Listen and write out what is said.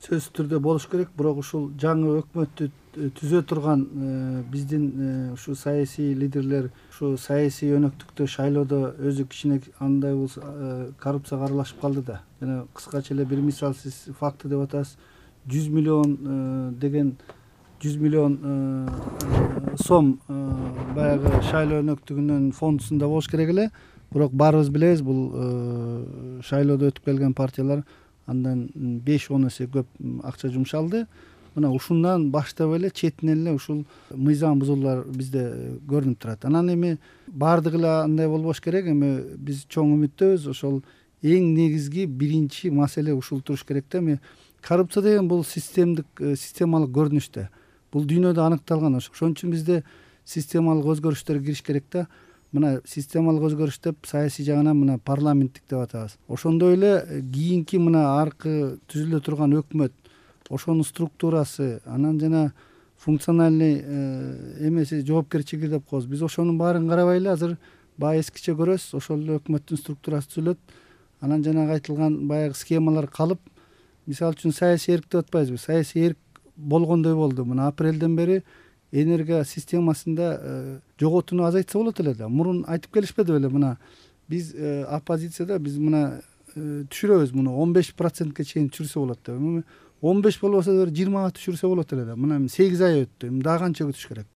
сөзсүз түрдө болуш керек, бирок ушул жаңы өкмөттү түзө турган биздин ушу саясий лидерлер ушу саясий өнөктүктө шайлоодо өзү кичине андай болсо коррупцияга аралашып калды да. Жана кыскача эле бир мисал сиз факты деп атасыз, 100 миллион деген 100 миллион сом баягы шайлоо өнөктүгүнүн фондусунда болуш керек эле. Бирок баарыбыз билебиз, бул шайлоодо өтүп келген партиялар андан 5-10 эсе көп акча жумшалды. Мына ушундан баштап эле четинен эле ушул мыйзам бузуулар бизде көрүнүп турат. Анан эми баардыгы эле андай болбош керек. Эми биз чоң үмүттөбүз. Ошол эң негизги биринчи маселе ушул туруш керек да. Эми коррупция деген бул системалык көрүнүш да. Бул дүйнөдө аныкталган. Ошон үчүн бизде системалык өзгөрүштөр кириш керек да. Мына системалык өзгөрүш деп саясий жагынан мына парламенттик деп атабыз. Ошондой эле кийинки мына аркы түзүлө турган өкмөт, ошонун структурасы, анан жана функциональный эмеси, жоопкерчилиги деп коебуз. Биз ошонун баарын карабай эле азыр баягы эскиче көрөбүз. Ошол эле өкмөттүн структурасы түзүлөт. Анан жанагы айтылган баягы схемалар калып, мисалы үчүн саясий эрк деп атпайбызбы? Саясий эрк болгондой болду. Мына апрелден бери энергия системасында жоготууну азайтса болот эле да. Мурун айтып келишпеди беле? Мына биз оппозицияда биз мына түшүрөбүз, муну 15%ке чейин түшүрсө болот деп. 15 болбосо да 20га түшүрсө болот эле да. Мына 8 ай өттү. Дагы канча күтүш керек?